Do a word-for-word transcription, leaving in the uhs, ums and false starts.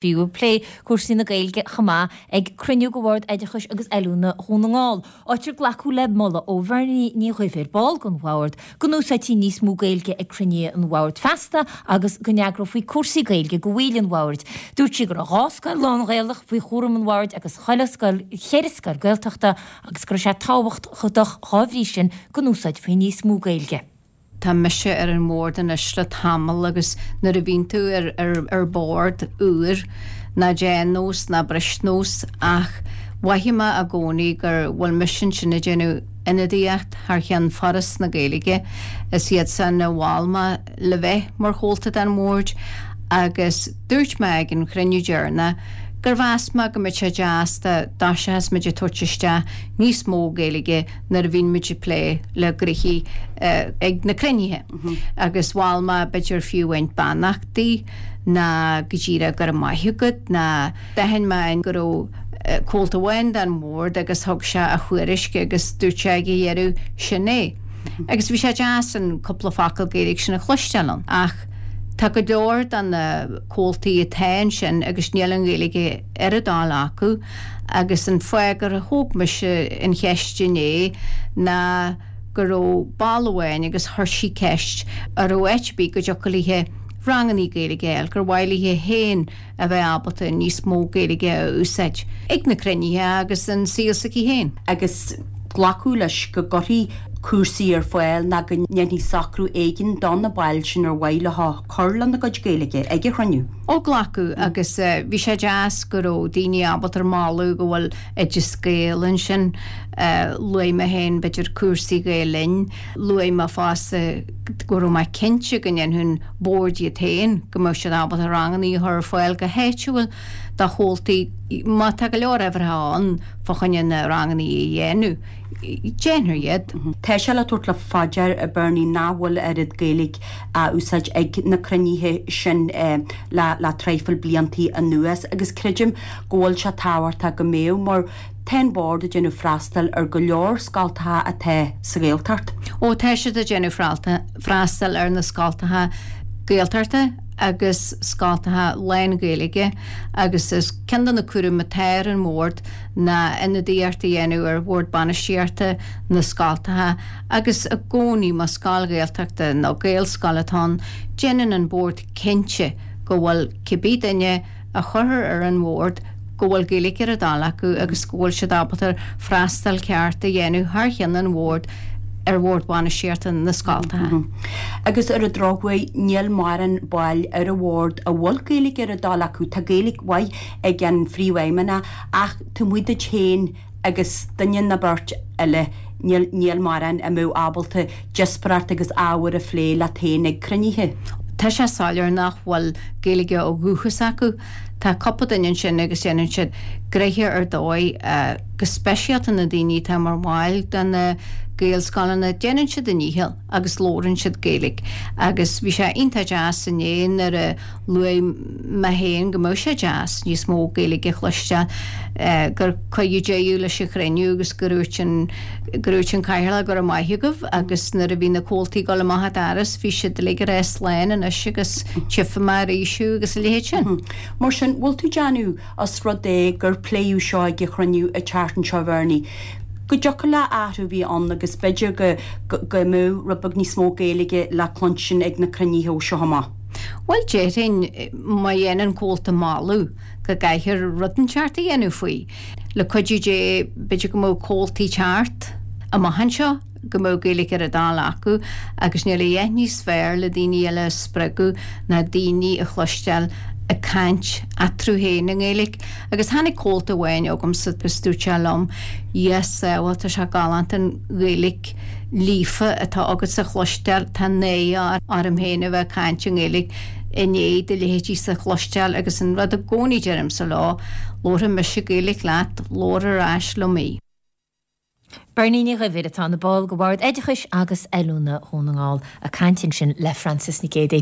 Bhí plé cúrsaí na Gaeilge chomh maith ag cruinniú de Bhord Oideachais agus Oiliúna Dhún na nGall, áit ar glacadh le moladh ó Bhernie Ní Dhuibhir, ball den bhord, go n-úsáidfí níos mó Gaeilge ag cruinnithe an bhoird feasta agus go n-eagrófaí cúrsaí Gaeilge do bhaill an bhoird. Dúirt sí go raibh dhá scoil lán-Ghaelach faoi chúram an bhoird agus chuile scoil cheithre scoil Gaeltachta agus go raibh sé tábhachtach dá bhrí sin go n-úsáidfí níos mó Gaeilge. Tá mise ar an mbord anois le tamall agus nuair a bhíonn tú ar, ar, ar bord úr ná déan nós ná bris nós ach mhothaigh mé i gcónaí gur bhfuil mise ansin ag déanamh ionadaíocht thar cheann Foras na Gaeilge is iad san a mhol mé le bheith mar chomhalta den bhord agus dúirt mé ag an chruinniú deireanach gur mheas mé go mbeadh sé deas dá dtoiseochas muid ag tabhairt isteach níos mó Gaeilge nuair a bhíonn muid ag plé le gnoithí ag na cruinnithe. Agus mhol mé b'fhéidir fiú amháin beannachtaí ná go díreach go raibh maith agat ná d'aithin mé go raibh comhalta amháin den bhord agus thug sé a thuairisc agus dúirt sé ag a dheireadh sin é. Agus bhí sé deas an cúpla focal Gaeilge sin a chloisteáil ann. Ach tá go leor de na comhaltaí atá ansin agus níl an Ghaeilge ar a dtoil acu agus an fáth gur thóg mise an cheist inné ná go raibh ball amháin agus chuir sí ceist an raibh áit ar bith go dtiocfadh léi ranganna Gaeilge a fháil, gur mhaith léi féin a bheith ábalta níos mó Gaeilge a úsáid ag na cruinnithe agus an saol s'aici féin. Agus glacadh leis go gcuirfí cúrsaí ar fáil ná go ndéanfaí socrú éigin do na baill sin ar mhaith leo cur lena gcuid Gaeilge ag an chruinniú. Ó glacadh agus bhí sé deas go raibh daoine ábalta moladh go bhfuil Oideas Gael ansin. Luaigh mé féin b'fhéidir cúrsaí Gael Linn, luaigh mé fosta go raibh mé cinnte go ndéanfadh an bord iad féin, go mbeadh siad ábalta ranganna a chur ar fáil go háitiúil do chomhaltaí má tá go leor uimhreacha ann fá choinne na ranganna a dhéanamh, déanfar iad. Tá sé le tabhairt faoi deara, a Bernie, nach bhfuil oiread Gaeilge á úsáid ag na cruinnithe sin le le traidhfil bliantaí anuas agus creidim go bhfuil sé tábhachtach go mbeadh mar tá an Bord ag déanamh freastal ar go leor scoltacha atá sa Ghaeltacht. Ó tá siad ag déanamh freastal ar na scoltacha Gaeltachta agus scoltacha lán-Ghaeilge agus is ceann de na cúraim atá ar an mBord ná ionadaíocht a dhéanamh ar Bhord Bainistíochta na scoltacha agus i gcónaí más scoil Ghaeltachta nó Gaelscoil atá ann, déanann an Bord cinnte go bhfuil cibé duine a chuirfear ar an bhord go bhfuil Gaeilge ar a dtoil acu agus go bhfuil siad ábalta freastal ceart a dhéanamh thar cheann an bhoird ar bhord bainistíochta na scoltacha. Agus ar an drochuair níl mórán baill ar an bhord a bhfuil Gaeilge ar a dtoil acu. Tá Gaeilge mhaith ag an phríomhfheidhmeannach ach taobh amuigh duit féin agus duine nó beirt eile níl níl mórán a mbeadh ábalta díospóireacht agus ábhar a phlé leat féin ag cruinnithe. Tá sé soiléir nach bhfuil Gaeilge ó dhúchas acu. Tá cúpla duine ansin agus déanann siad gnoithe ar dóigh, go speisialta na daoine atá mar bhaill de na Gaelscoileanna, déanann siad a ndícheall agus labhrann siad Gaeilge. Agus bhí sé iontach deas inné nuair a luaigh mé féin go mbeadh sé deas níos mó Gaeilge a chloisteáil, gur cuireadh deireadh leis an chruinniú agus go ndúirt an go ndúirt an Cathaoirleach go raibh maith agaibh agus nuair a bhí na comhaltaí ag dul amach an doras bhí siad uilig ag rá slán anois agus tchífidh mé arís thú agus a leithéid sin. Mar sin, bhfuil tú ag déanamh, os rud é gur pléadh seo ag an chruinniú an tseachtain seo, a Bhernie, go dtiocfadh le athrú a bheith ann agus b'fhéidir go go mbeadh rud beag níos mó Gaeilge le cluinstin ag na cruinnithe ó seo amach? Bhuel, déarfainn, má dhéanann comhalta moladh go gcaithfear rud inteacht a dhéanamh faoi. Le cuidiú Dé, b'fhéidir go mbeadh comhaltaí ag teacht amach anseo go mbeadh Gaeilge ar a dtoil acu agus níl a dhath níos fearr le daoine eile a spreagadh ná daoine a chloisteáil ag caint eatarthu féin i nGaeilge. Agus tháinig comhalta amháin chugamsa agus dúirt sé liom, Dhia sábháil, tá sé galánta an Ghaeilge líofa atá agatsa a chloisteáil, tá náire orm féin a bheith ag caint i nGaeilge i ndiaidh do leithéidíse a chloisteáil agus an rud i gcónaí deirimse leo, labharfaidh mise Gaeilge leat, labhair ar ais liom í. Bernie Ní Dhuibhir, atá ina ball de Bhord Oideachais agus Oiliúna Dhún na nGall, ag caint ansin le Frances Nic Géadaigh.